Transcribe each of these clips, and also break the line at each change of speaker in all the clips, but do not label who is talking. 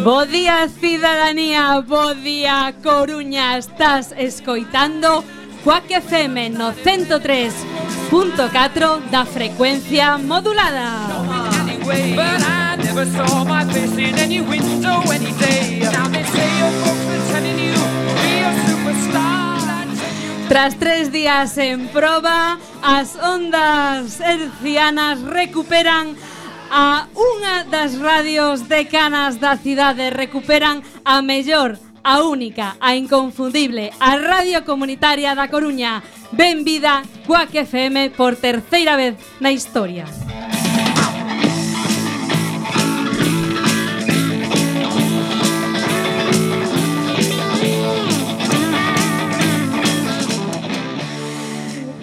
Bo día, cidadanía, bo día, Coruña. Estás escoitando Quack FM no 103.4 da frecuencia modulada. Tras 3 días en proba, as ondas hercianas recuperan a unha das radios decanas da cidade, recuperan a mellor, a única, a inconfundible, a radio comunitaria da Coruña. Benvida Quack FM por terceira vez na historia.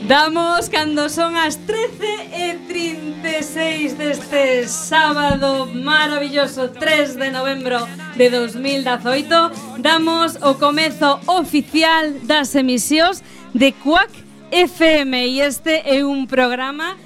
Damos cando son as 13:36 deste sábado maravilloso 3 de novembro de 2018. Damos o comezo oficial das emisións de Quack FM e este é un programa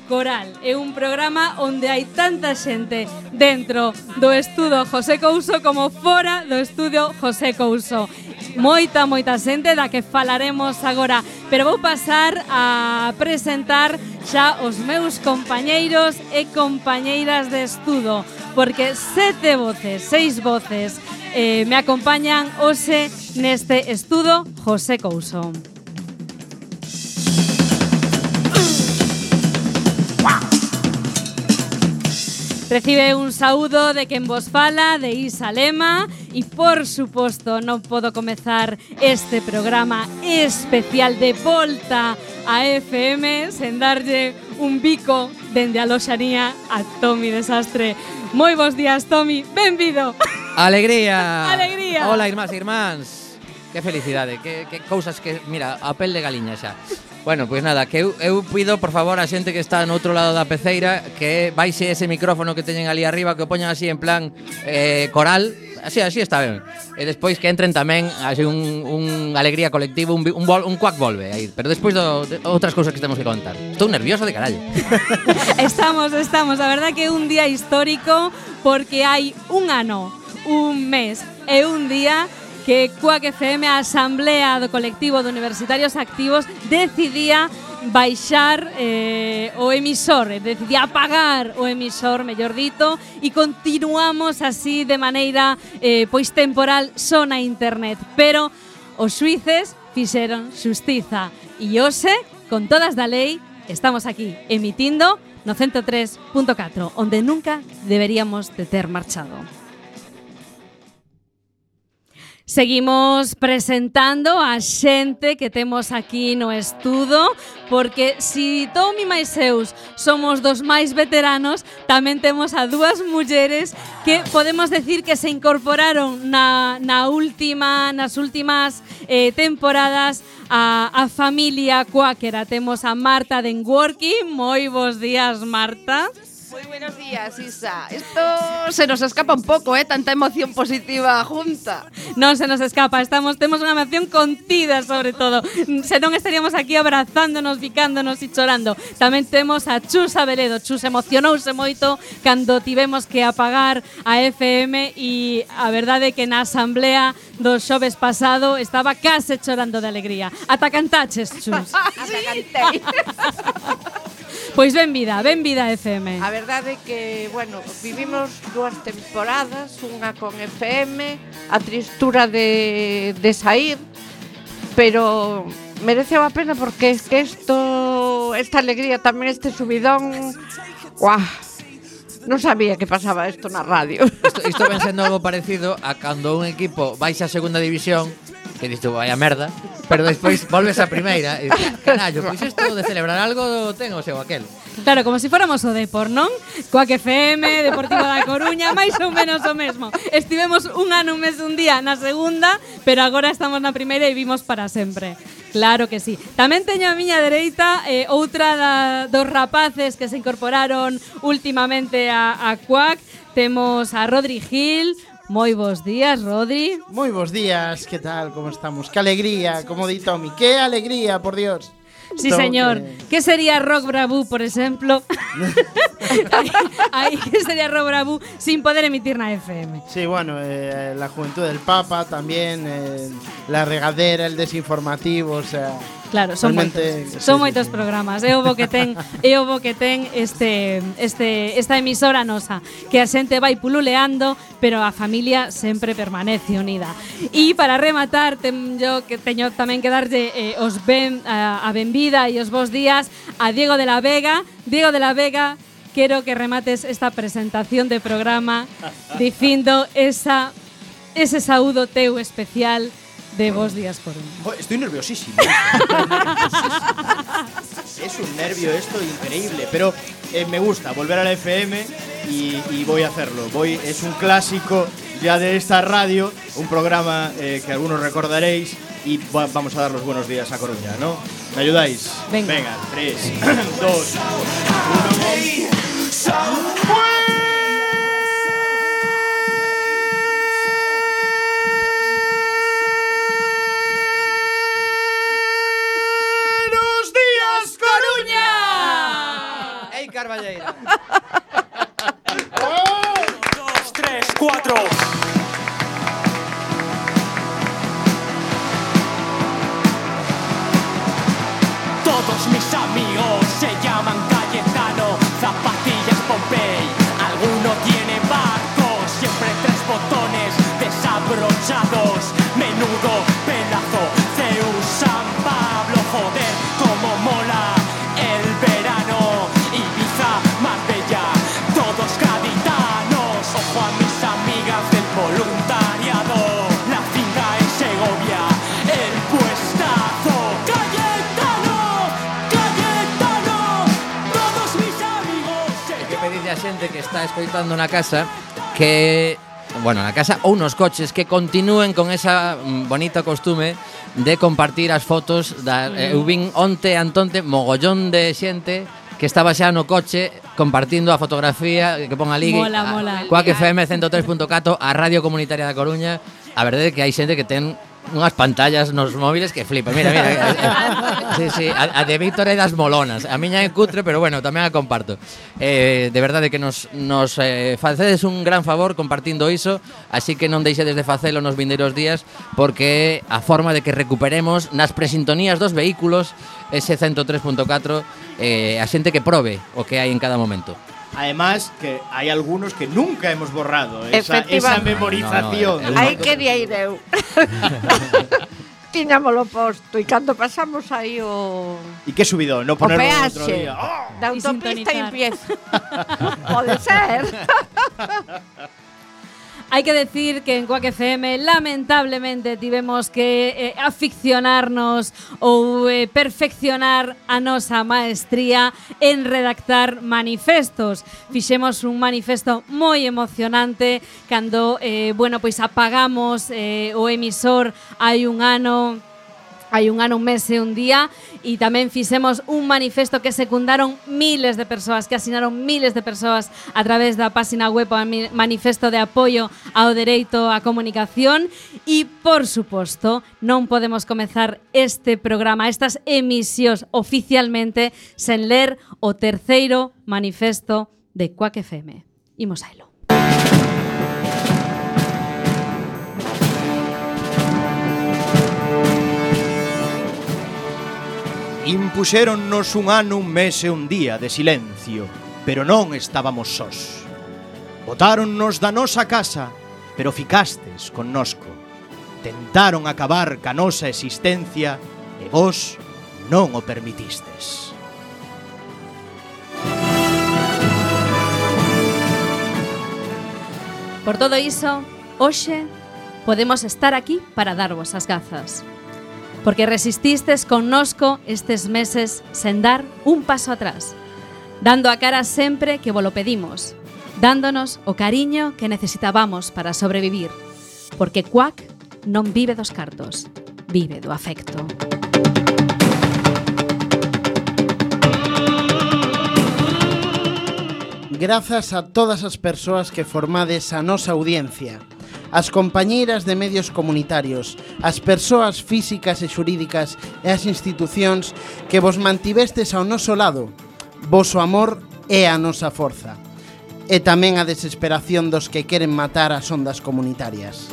coral, é un programa onde hai tanta xente dentro do estudo José Couso como fora do estudio José Couso. Moita xente da que falaremos agora, pero vou pasar a presentar xa os meus compañeiros e compañeiras de estudo, porque 6 voces me acompañan hoxe neste estudo José Couso. Recibe un saúdo de quen vos fala, de Isa Lema, e por suposto non podo comezar este programa especial de volta a FM sen darlle un bico dende a loxanía a Tomi Desastre. Moi bons días, Tomi, benvido.
Alegría.
Alegría.
Hola, irmáns e irmáns. Que felicidade, que cousas que, mira, a pel de galiña xa. Bueno, pois nada, que eu pido, por favor, a xente que está no outro lado da peceira que baixe ese micrófono que teñen ali arriba, que o poñan así en plan coral. Así está ben. E despois que entren tamén así un alegría colectivo, un Quack volve aí. Pero despois de outras cousas que temos que contar. Estou nervioso de carallo.
Estamos. A verdad que é un día histórico porque hai un ano, un mes e un día que Quack FM, a Asamblea do Colectivo de Universitarios Activos, decidía baixar o emisor, decidía apagar o emisor, mellor dito, e continuamos así de maneira pois temporal só na internet. Pero os xuíces fixeron xustiza e hoxe, con todas da lei, estamos aquí emitindo no 103.4, onde nunca deberíamos de ter marchado. Seguimos presentando a xente que temos aquí no estudo, porque si Tomi máis Seus somos dos máis veteranos, tamén temos a dúas mulleres que podemos decir que se incorporaron nas últimas temporadas a familia Quackera. Temos a Marta de Enworking. Moi bons días, Marta.
Muy buenos días, Isa. Esto se nos escapa un poco, tanta emoción positiva junta.
Non se nos escapa, temos unha emoción contida sobre todo. Se non estaríamos aquí abrazándonos, picándonos e chorando. Tamén temos a Chus Abeledo. Chus emocionouse moito cando tivemos que apagar a FM e a verdade é que na asamblea do xoves pasado estaba case chorando de alegría. Ata cantaches, Chus.
Ata cantei.
Pois benvida FM.
A verdade é que, bueno, vivimos 2 temporadas, unha con FM, a tristura de sair, pero mereceu a pena porque es que esta alegría, tamén este subidón, guau, non sabía que pasaba isto na radio.
Isto ven sendo algo parecido a cando un equipo baixa a segunda división, que disto vai a merda, pero despois volves a primeira e canallo, pois isto de celebrar algo ten o seu aquel.
Claro, como se fóramos o Depor, non? Quack FM, Deportivo da Coruña, máis ou menos o mesmo. Estivemos un ano, un mes, un día na segunda, pero agora estamos na primeira e vimos para sempre. Claro que sí. Tamén teño a miña dereita outra dos rapaces que se incorporaron últimamente a Quack. Temos a Rodri Gil. Moi bons días, Rodri.
Moi bons días, que tal, como estamos? Que alegría, como di Tomi, que alegría, por Dios.
Sí, señor. ¿Qué sería Rock Bravú, por ejemplo? ¿Qué sería Rock Bravú sin poder emitir na FM?
Sí, bueno, la Juventud del Papa también, la regadera, el desinformativo, o sea...
Claro, son moitos programas. É o bo que ten esta emisora nosa, que a xente vai pululeando, pero a familia sempre permanece unida. E para rematar, teño tamén que darlle a benvida e os bons días a Diego de la Vega. Diego de la Vega, quero que remates esta presentación de programa dicindo ese saúdo teu especial de Bos Días Coruña.
Estoy nerviosísimo. Es un nervio esto increíble, pero me gusta volver a la FM y voy a hacerlo. Es un clásico ya de esta radio, un programa que algunos recordaréis y vamos a dar los buenos días a Coruña, ¿no? ¿Me ayudáis?
Venga,
3, 2, 1.
Carballeira.
1, 2, 3, 4. Todos mis amigos se llaman Cayetano, Zapatillas Pompey. Alguno tiene barcos, siempre 3 botones desabrochados. Menudo pedazo, Zeus, San Pablo, joder, como mola el verano. Marbella, todos gaditanos. Ojo a mis amigas del voluntariado. La finca en Segovia, el puestazo. Cayetano, Cayetano, todos mis amigos.
Hai que pedirle a xente que está escoitando na casa que, bueno, na casa ou nos coches, que continúen con esa bonita costume de compartir as fotos eu vin onte antonte mogollón de xente que estaba xa no coche compartindo a fotografía que pon ali
mola.
Quack FM 103.4, a Radio Comunitaria da Coruña. A verdade é que hai xente que ten unhas pantallas nos móviles que flipa. Mira. Sí, a de Víctor é das molonas. A miña é cutre, pero bueno, tamén a comparto. De verdade que nos facedes un gran favor compartindo iso, así que non deixedes de facelo nos vindeiros días, porque a forma de que recuperemos nas presintonías dos vehículos ese 103.4, a xente que probe o que hai en cada momento.
Además, que hay algunos que nunca hemos borrado esa memorización.
Aí quería ir eu. Tiñámoslo posto e cando pasamos aí o...
E que subido, no ponerlo outro
peaxe
día.
da autopista e empieza. Pode ser.
Hai que decir que en Quack FM lamentablemente tivemos que aficionarnos ou perfeccionar a nosa maestría en redactar manifestos. Fixemos un manifesto moi emocionante cando pois apagamos o emisor hai un ano, un mes e un día, e tamén fixemos un manifesto que secundaron miles de persoas, que asinaron miles de persoas a través da página web, o manifesto de apoio ao dereito á comunicación. E, por suposto, non podemos comezar este programa, estas emisións oficialmente, sen ler o terceiro manifesto de Quack FM. Imos a elo.
Impuxéronnos un ano, un mes e un día de silencio, pero non estábamos sós. Botáronnos da nosa casa, pero ficastes connosco. Tentaron acabar ca nosa existencia e vos non o permitistes.
Por todo iso, hoxe podemos estar aquí para darvos as grazas. Porque resististes connosco estes meses sen dar un paso atrás, dando a cara sempre que volo pedimos, dándonos o cariño que necesitábamos para sobrevivir. Porque Quack non vive dos cartos, vive do afecto.
Grazas a todas as persoas que formades a nosa audiencia, as compañeiras de medios comunitarios, as persoas físicas e xurídicas e as institucións que vos mantivestes ao noso lado. Voso amor é a nosa forza. E tamén a desesperación dos que queren matar as ondas comunitarias.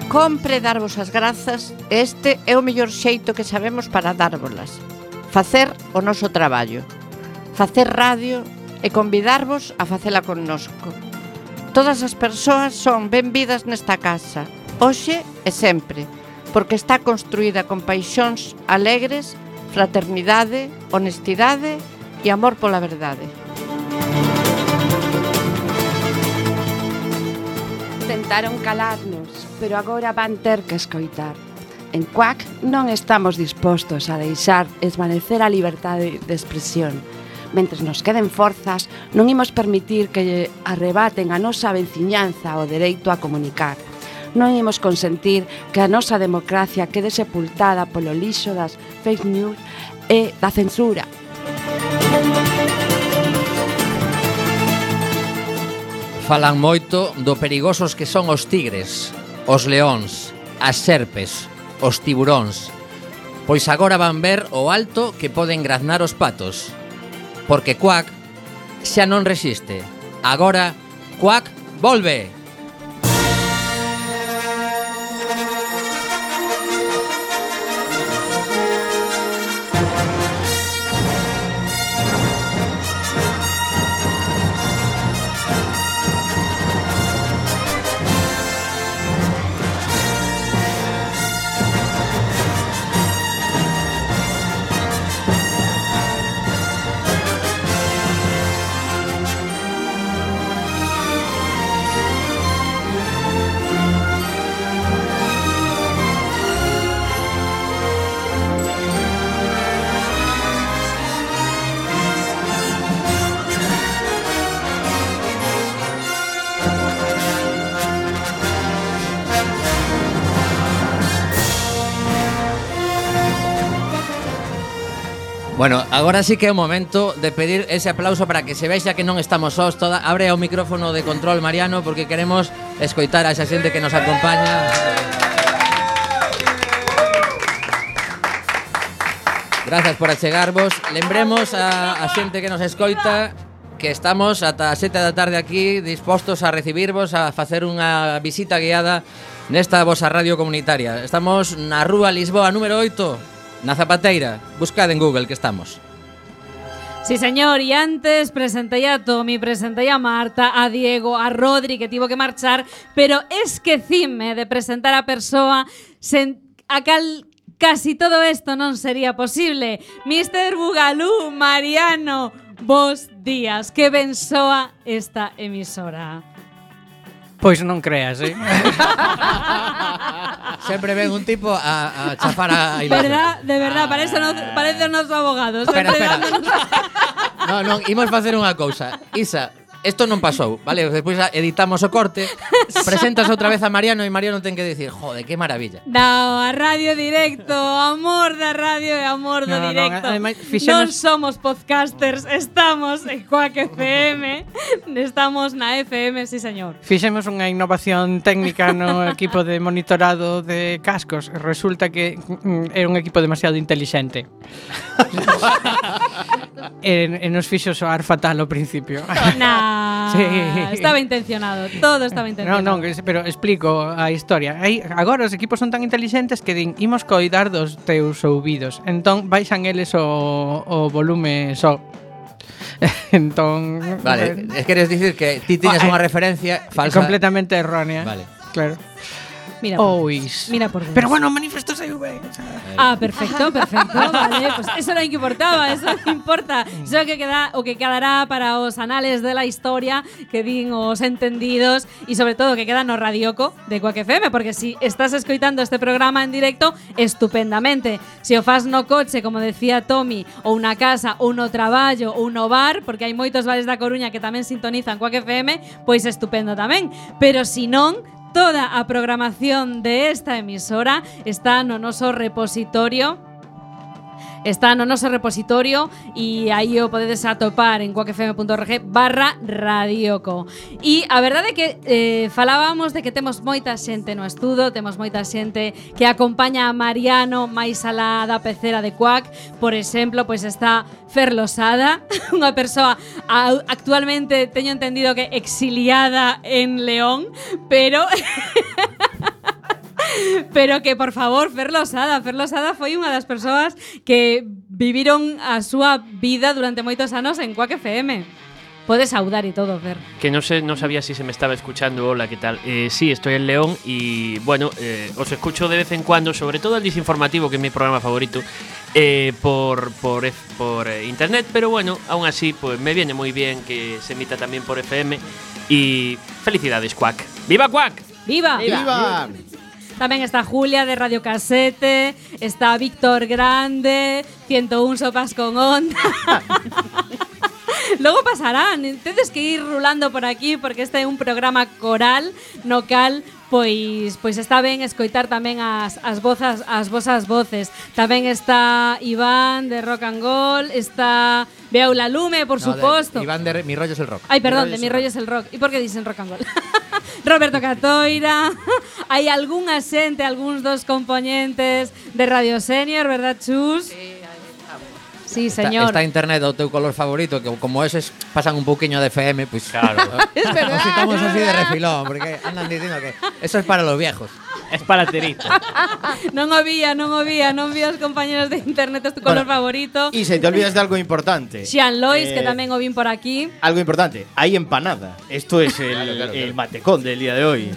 Compre darvos as grazas, este é o mellor xeito que sabemos para dárvolas. Facer o noso traballo. Facer radio e convidarvos a facela connosco. Todas as persoas son benvidas nesta casa, hoxe e sempre, porque está construída con paixóns alegres, fraternidade, honestidade e amor pola verdade.
Tentaron calarnos, pero agora van ter que escoitar. En Quack non estamos dispostos a deixar esvanecer a liberdade de expresión. Mentres nos queden forzas, non imos permitir que lle arrebaten a nosa veciñanza o dereito a comunicar. Non imos consentir que a nosa democracia quede sepultada polo lixo das fake news e da censura.
Falan moito do perigosos que son os tigres, os leóns, as serpes, os tiburóns. Pois agora van ver o alto que poden graznar os patos. Porque Quack xa non resiste. Agora, Quack volve! Bueno, agora sí que é o momento de pedir ese aplauso para que se vexa que non estamos sós toda. Abre o micrófono de control, Mariano, porque queremos escoitar a esa xente que nos acompaña. Gracias por achegarvos. Lembremos a xente que nos escoita que estamos ata as 7 da tarde aquí dispostos a recibirvos, a facer unha visita guiada nesta vosa radio comunitaria. Estamos na Rúa Lisboa número 8, na Zapateira. Buscad en Google que estamos.
Sí, señor, y antes presenté a Tommy, presenté a Marta, a Diego, a Rodri, que tivo que marchar, pero esquecime de presentar a persoa a cal casi todo isto non sería posible. Mr. Bugalú, Mariano, bos días, que ben soa esta emisora.
Pois non creas,
Sempre ven un tipo a chafar a Ilaza.
De verdad, parece o noso abogado.
Espera. Non, imos facer unha cousa. Isa, isto non pasou, vale? Despois editamos o corte, presentas outra vez a Mariano e Mariano ten que dicir, jode, que maravilla.
No, a radio directo, amor da radio e amor do directo. Non somos podcasters, estamos en Quack FM, estamos na FM, sí señor.
Fixemos unha innovación técnica no equipo de monitorado de cascos. Resulta que era un equipo demasiado inteligente. E nos fixo soar fatal ao principio.
Sí. Estaba intencionado, todo estaba intencionado.
Non, pero explico a historia. Agora os equipos son tan inteligentes que din, imos coidar dos teus ouvidos. Entón baixan eles o volume só. Entón,
vale, queres dicir que ti tiñas unha referencia falsa
completamente errónea.
Vale.
Claro.
Mira por Dios.
Pero bueno, manifesto saiu ben.
Perfecto, vale. Pues eso era o que importaba, eso non importa. Eso o que quedará para os anales de la historia, que din os entendidos e sobre todo que queda no radioco de Quack FM, porque si estás escoitando este programa en directo, estupendamente. Si o fas no coche, como decía Tommy, ou na casa, ou no traballo, ou no bar, porque hai moitos bares da Coruña que tamén sintonizan Quack FM, pois estupendo tamén. Pero si non, toda a programación de esta emisora está no noso repositorio está no noso repositorio e aí o podedes atopar en cuacfm.org/radioco. E a verdade é que falábamos de que temos moita xente no estudo, temos moita xente que acompaña a Mariano máis alá da pecera de Cuac. Por exemplo, pois está Fer Losada, unha persoa actualmente teño entendido que exiliada en León, pero que, por favor, Fer Losada foi unha das persoas que viviron a súa vida durante moitos anos en Cuac FM. Puedes saudar y todo, Fer.
Que no sabía si se me estaba escuchando. Hola, ¿qué tal? Sí, estoy en León y bueno, os escucho de vez en cuando, sobre todo el Disinformativo, que es mi programa favorito, por internet, pero bueno, aún así pues me viene muy bien que se emita también por FM y felicidades, Cuac. ¡Viva Cuac!
¡Viva!
¡Viva!
Tamén está Julia de Radio Casete, está Víctor Grande, 101 sopas con onda. Logo pasarán, tedes que ir rulando por aquí porque este é un programa coral no cal pois está ben escoitar tamén as vosas voces. Tamén está Iván de Rock and Roll, está Beaula Lume, por suposto.
Iván de Mi Rollo es el Rock.
Ay, perdón, de Mi Rollo es el Rock. E por que dicen Rock and Roll? Roberto Catoira. Hai algunha xente, algúns dos componentes de Radio Senior, verdad, Chus? Sí, señor.
Está internet o teu color favorito, que como eses pasan un pouquiño de FM, pues
claro.
Es verdad.
Nos estamos así de refilón, porque andan diciendo que eso es para los viejos.
Es para Terita.
non vi os compañeros de internet, es tu color favorito.
Y se te olvidas de algo importante.
Xian Lois, que tamén o vin por aquí.
Algo importante, hay empanada. Esto es
Claro.
el matecón del día de hoy.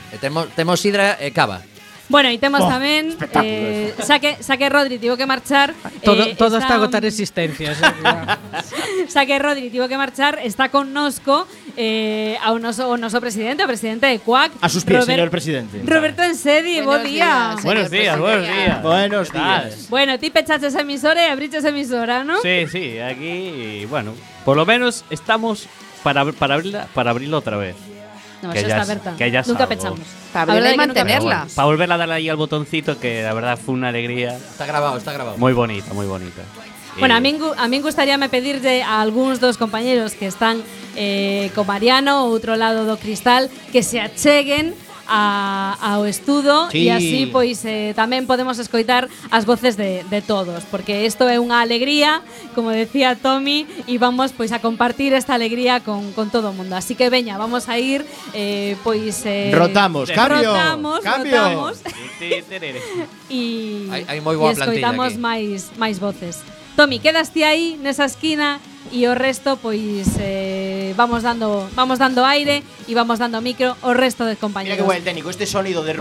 Temos sidra e cava.
Bueno, e temos tamén
espectáculo
Saque Rodri tivo que marchar.
Todo está a agotar existencias.
Saque Rodri tivo que marchar, está connosco o noso presidente, o presidente de Cuac.
A sus pies, señor presidente.
Roberto Ensedi, bo día.
Buenos días.
Buenos días.
Bueno, ti pechaches a emisora e abriches a emisora, ¿no?
Sí, aquí, bueno, por lo menos estamos para abrirla otra vez.
No,
que
eso
ya
está abierta.
que ya
Nunca
salgo.
pechamos.
Para
La verdad
abrirla y
es que nunca
mantenerla.
Bueno, para volver a darle ahí al botoncito, que la verdad fue una alegría.
Está grabado.
Muy bonita, muy bonita.
Bueno, a min gustaríame pedirlle a algúns dos compañeros que están co Mariano ao outro lado do cristal que se acheguen ao estudo
Sí.
e así pois tamén podemos escoitar as voces de todos, porque isto é unha alegría, como decía Tommy, e vamos pois a compartir esta alegría con todo o mundo. Así que veña, vamos a ir
Rotamos, cambio.
Rotamos e
Hai moi boa plantilla
escoitamos
aquí.
máis voces. Tommy, quedaste aí nesa esquina e o resto pois vamos dando aire e vamos dando micro ao resto de
Mira
compañeros.
qué buen técnico, este sonido de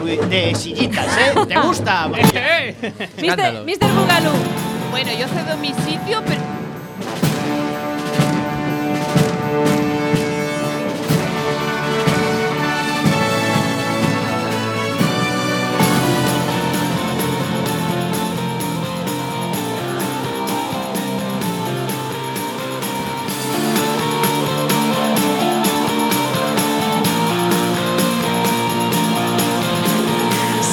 sillitas, ¿eh? ¿Te gusta?
Escándalo.
Mr. Bugalú.
Bueno, yo cedo mi sitio, pero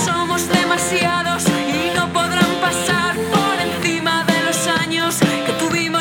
Somos demasiados y no podrán pasar por encima de los años que tuvimos.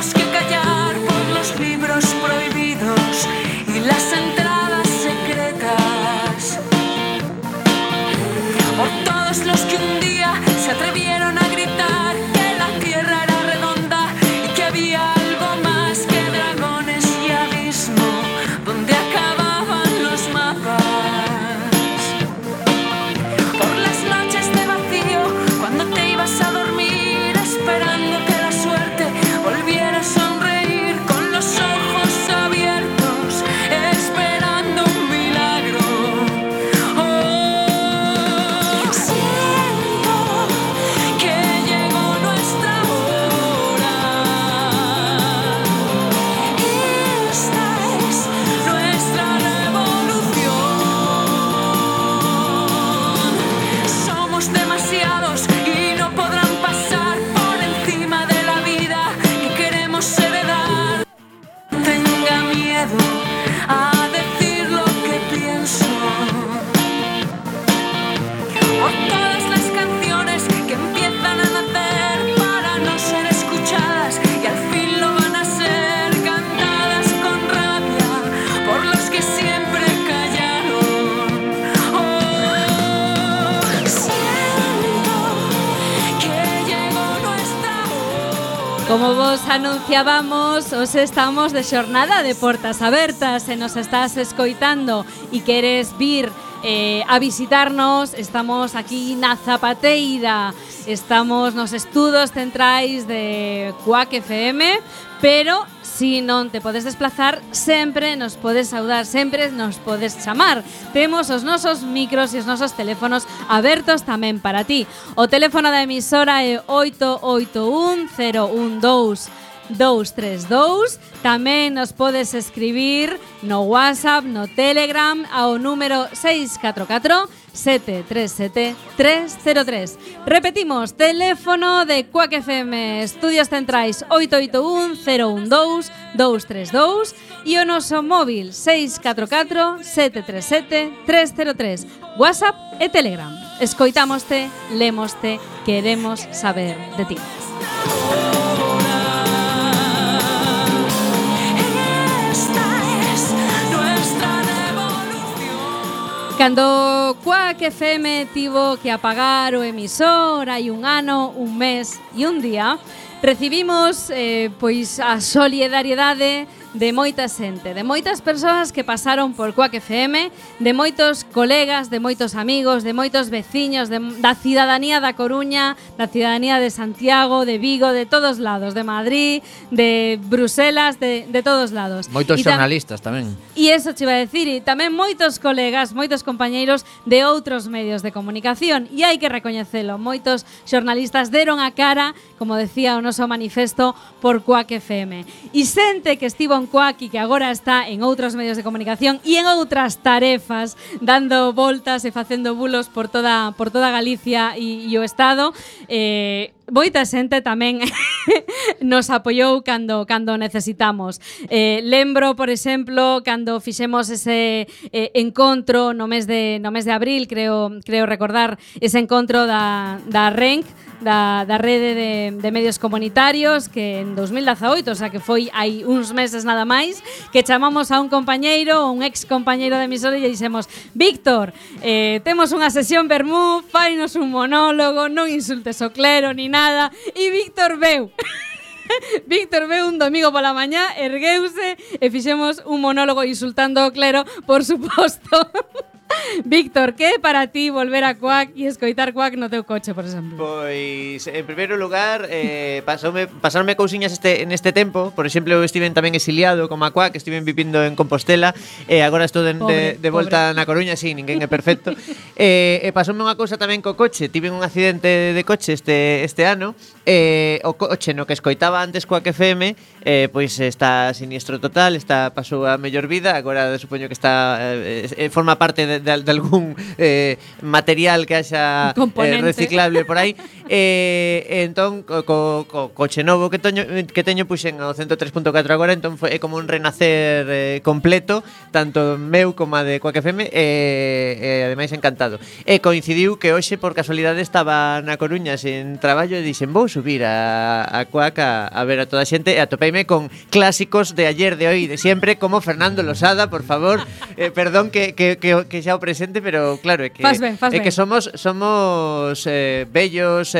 Como vos anunciábamos, os estamos de xornada de portas abertas. Se nos estás escoitando e queres vir a visitarnos, estamos aquí na Zapateira. Estamos nos estudos centrais de Quack FM, pero si non te podes desplazar, sempre nos podes saudar, sempre nos podes chamar. Temos os nosos micros e os nosos teléfonos abertos tamén para ti. O teléfono da emisora é 881-012-232. Tamén nos podes escribir no WhatsApp, no Telegram, ao número 644-737-303. Repetimos, teléfono de Quack FM, Estudios Centrais 881-012-232 e o noso móvil 644-737-303. WhatsApp e Telegram. Escoitámoste, lemoste, queremos saber de ti. Cando Quack FM tivo que apagar o emisor hai un ano, un mes e un día, recibimos pois a solidariedade de moita xente, de moitas persoas que pasaron por Quack FM, de moitos colegas, de moitos amigos, de moitos veciños, da cidadanía da Coruña, da cidadanía de Santiago, de Vigo, de todos lados, de Madrid, de Bruselas, de todos lados.
Moitos xornalistas tamén.
E eso che iba a decir, e tamén moitos colegas, moitos compañeiros de outros medios de comunicación, e hai que recoñecelo, moitos xornalistas deron a cara, como decía o noso manifesto, por Quack FM. E xente que estivo en Quack e que agora está en outros medios de comunicación e en outras tarefas, dando voltas e facendo bulos por toda Galicia e o Estado, moita xente tamén nos apoiou cando necesitamos. Lembro, por exemplo, cando fixemos ese encontro no mes de abril, creo recordar ese encontro da RENC, da rede de medios comunitarios, que en 2018, o sea que foi hai uns meses nada máis, que chamamos a un compañeiro, un ex compañeiro de emisora e lle dixemos: Víctor, temos unha sesión vermú, fainos un monólogo, non insultes o clero ni nada. E Víctor veu. Víctor veu un domingo pola mañá, ergueuse e fixemos un monólogo insultando o clero, por suposto. Víctor, que é para ti volver a Quack e escoitar Quack no teu coche, por exemplo?
Pois, en primeiro lugar, pasaronme cousiñas neste tempo. Por exemplo, eu estiven tamén exiliado como a Quack, estiven vivindo en Compostela e agora estou de volta na Coruña, sí, ninguén é perfecto. E pasoume unha cousa tamén co coche. Tive un accidente de coche este ano. O coche no que escoitaba antes Quack FM, pois está siniestro total, pasou a mellor vida. Agora supoño que está forma parte de algún material que haxa reciclable por aí. Entón, co coche novo que teño puxen ao 103.4 agora, entón é como un renacer completo, tanto meu como a de Quack FM, e ademais encantado. E coincidiu que hoxe, por casualidade, estaba na Coruña sen traballo e dixen: vou subir a Quack a ver a toda a xente, e atopeime con clásicos de ayer, de hoy, de siempre, como Fernando Losada, por favor. Perdón que xa o presente, pero claro, é que que somos bellos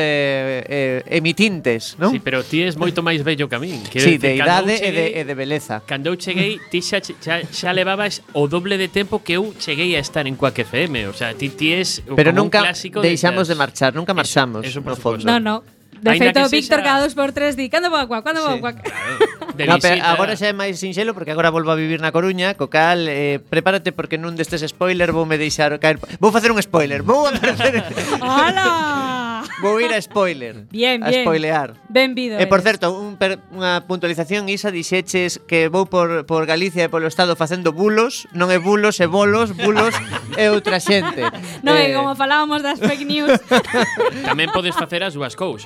emitintes, non?
Sí, pero ti és moito máis bello que a min.
Sí, de idade e de beleza.
Cando eu cheguei, ti xa levabas o doble de tempo que eu cheguei a estar en Quack FM. O sea, ti és
pero
como
nunca
un clásico.
deixamos de marchar, nunca marchamos.
Eso
no fondo.
No. De feito, Víctor cada 2x3 di: cando vou a Quack, cando vou a Quack.
No, pero agora xa é máis sinxelo porque agora volvo a vivir na Coruña, co cal prepárate porque nun destes spoiler voume deixar caer. Vou facer un spoiler. Vou aparecer.
¡Hala!
Vou ir a spoiler.
Bien.
A spoilear.
Benvido.
E por certo, unha puntualización, Isa, dixeches que vou por Galicia e polo Estado facendo bulos, non é bulos, é bolos, bulos é outra xente.
Non é como falábamos das fake news.
Tamén podes facer as dúas cousas.